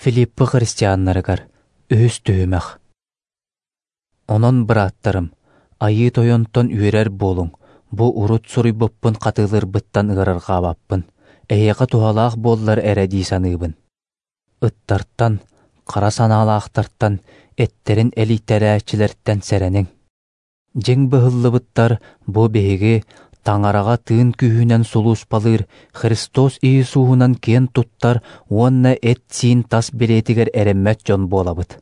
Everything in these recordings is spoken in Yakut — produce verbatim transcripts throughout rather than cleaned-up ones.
Филиппы христианнарыгар үһүс түһүмэх. Онон, бырааттарым, Айыы Тойонтон үөрэр буолуҥ, бу урут суруйбуппун хатылыырбыттан ыарырҕаабаппын, эһиэхэ туһалаах буоллар эрэ дии саныыбын. Ыттартан, хара санаалаахтартан, эттэрин элийтэрээччилэртэн сэрэниҥ. Дьиҥ быһыллыбыттар бу биһиги Таҥараҕа тыын күүһүнэн сулууспалыыр Христос Иисуһунан киэн туттар уонна эт-сиин тас билиэтигэр эрэммэт дьон буолабыт.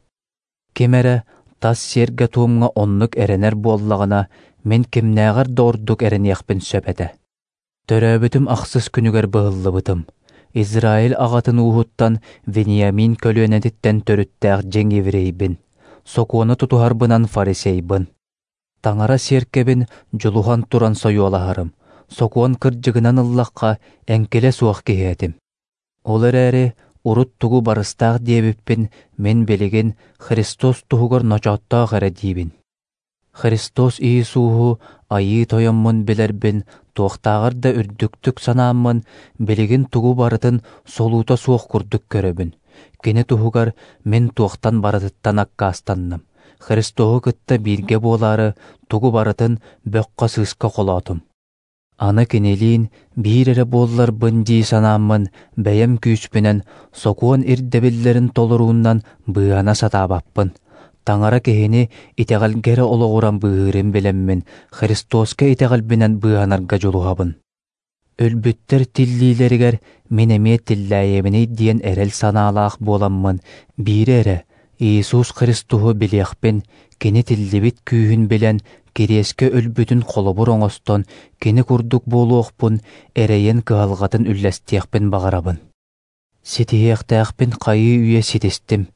Ким эрэ тас сиэргэ-туомҥа оннук эрэнэр буоллаҕына, мин кимнээҕэр да ордук эрэниэхпин сөп этэ. Төрөөбүтүм ахсыс күнүгэр быһыллыбытым. Израиль аҕатын ууһуттан Вениамин көлүөнэтиттэн төрүттээх дьиҥ еврейбин, сокуону тутуһарбынан фарисейбын. Таҥара сиэркэбин дьулуһан туран сойуолаһарым, сокуон кырдьыгынан ыллахха, эҥкилэ суох киһи этим. Ол эрээри урут тугу барыстаах диэбиппин мин билигин Христос туһугар ночооттоох эрэ диибин. Христос Иисуһу Айыы Тойоммун билэрбин, туохтааҕар да үрдүктүк санааммын, билигин тугу барытын солуута суох курдук көрөбүн. Кини туһугар мин туохтан барытыттан аккаастанным. Христоһу кытта бииргэ буолаары тугу барытын бөххө-сыыска холоотум. Аны кинилиин биир эрэ буолларбын дии санааммын, бэйэм күүспүнэн, сокуон ирдэбиллэрин толоруунан быыһана сатаабаппын. Таҥара киһини итэҕэлгэ эрэ олоҕуран быыһыырын билэммин, Христоска итэҕэлбинэн быыһанарга дьулуһабын. Өлбүттэр тиллиилэригэр мин эмиэ тиллээйэбиний диэн эрэл санаалаах буоламмын, биири эрэ Иисус Христоһу билиэхпин, кини тиллибит күүһүн билэн, кириэскэ өлбүтүн холобур оҥостон, кини курдук буолуохпун, эрэйин кыһалҕатын үллэстиэхпин баҕарабын. Ситиһиэхтээхпин хайыы үйэ ситистим,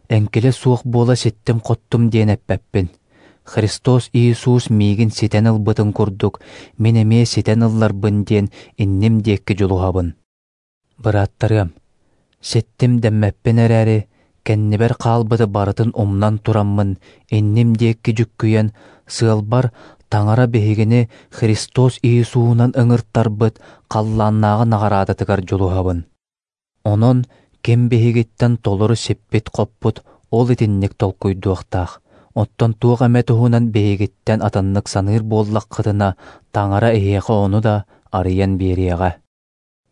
эҥкилэ суох буола ситтим-хоттум диэн эппэппин. Христос Иисус миигин ситэн ылбытын курдук, мин эмиэ ситэн ылларбын диэн инним диэки дьулуһабын. Бырааттарыам, ситтим дэммэппин эрээри, кэннибэр хаалбыты барытын умнан тураммын, инним диэки дьүккүйэн, сыалбар Таҥара биһигини Христос Иисуһунан ыҥыртарбыт халлааннааҕы наҕараадатыгар дьулуһабын. Онон ким биһигиттэн толору сиппит-хоппут, ол итинник толкуйдуохтаах. Оттон туох эмэ туһунан биһигиттэн атыннык саныыр буоллаххытына, Таҥара эһиэхэ ону да арыйан биэриэҕэ.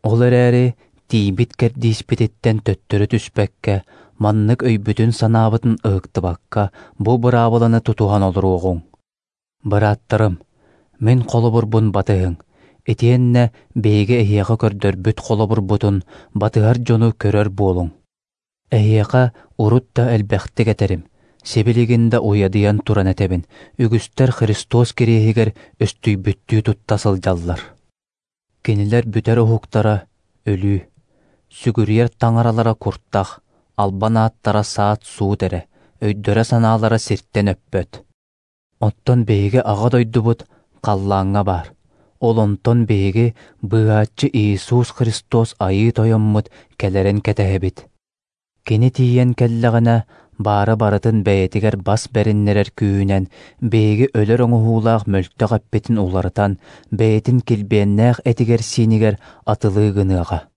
Ол эрээри тиийбит кэрдииспититтэн төттөрү түспэккэ, маннык өйбүтүн-санаабытын ыһыктыбакка, бу быраабыланы тутуһан олоруоҕуҥ. Бырааттарым, мин холобурбун батыһыҥ, итиэннэ биһиги эһиэхэ көрдөрбүт холобурбутун батыһар дьону көрөр буолуҥ. Эһиэхэ урут да элбэхтик этэрим, сибилигин да уйадыйан туран этэбин, үгүстэр Христос кириэһигэр өстүйбүттүү тутта сылдьаллар. Кинилэр бүтэр уһуктара өлүү, сүгүрүйэр таҥаралара куртах, албан ааттара саат-суут эрэ, өйдөрө-санаалара сиртэн өппөт. Оттон биһиги аҕа дойдубут халлааҥҥа баар. Ол онтон биһиги быыһааччы Иисус Христос Айыы Тойоммут кэлэрин кэтэһэбит. Кини тиийэн кэллэҕинэ, баары барытын бэйэтигэр бас бэриннэрэр күүһүнэн биһиги өлөр оҥоһуулаах мөлтөх эппитин уларытан, бэйэтин килбиэннээх этигэр-сиинигэр атылыы гыныаҕа.